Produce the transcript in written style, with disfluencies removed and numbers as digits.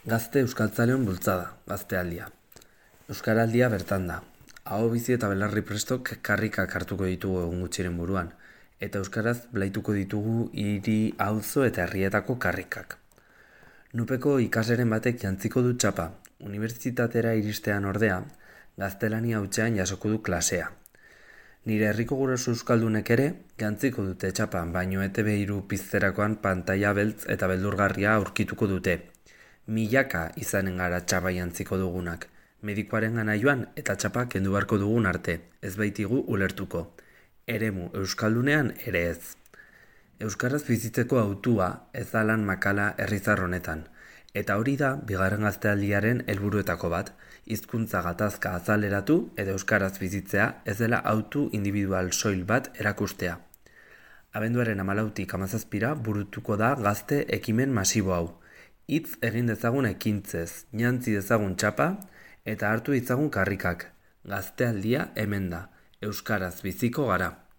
Gazte euskaltzaleon bultzada, gaztealdia. Euskaraldia bertan da. Aho bizi eta belarri prestok karrikak hartuko ditugu egun gutxiren buruan, eta euskaraz blaituko ditugu hiri, auzo eta herrietako karrikak. Nupeko ikaseren batek jantziko du txapa, unibertsitatera iristean ordea, gaztelania hutsean jasoko du klasea. Nire herriko guraso euskaldunek ere, jantziko dute txapa, baino ETV3 pizterakoan pantaila beltz eta beldurgarria aurkituko dute. Milaka izanen gara txapa jantziko dugunak, medikuaren gana joan eta txapa kendu beharko dugun arte, ez baitigu ulertuko. Eremu euskaldunean ere ez. Euskaraz bizitzeko hautua ez da lan makala herrizar honetan, eta hori da bigarren gaztealdiaren helburuetako bat, hizkuntza gatazka azaleratu eta euskaraz bizitzea ez dela hautu individual soil bat erakustea. Abenduaren 14tik 17ra burutuko da gazte ekimen masibo hau. Hitz egin dezagun ekintzez, jantzi dezagun txapa eta hartu ditzagun karrikak. Gaztealdia hemen da, euskaraz biziko gara.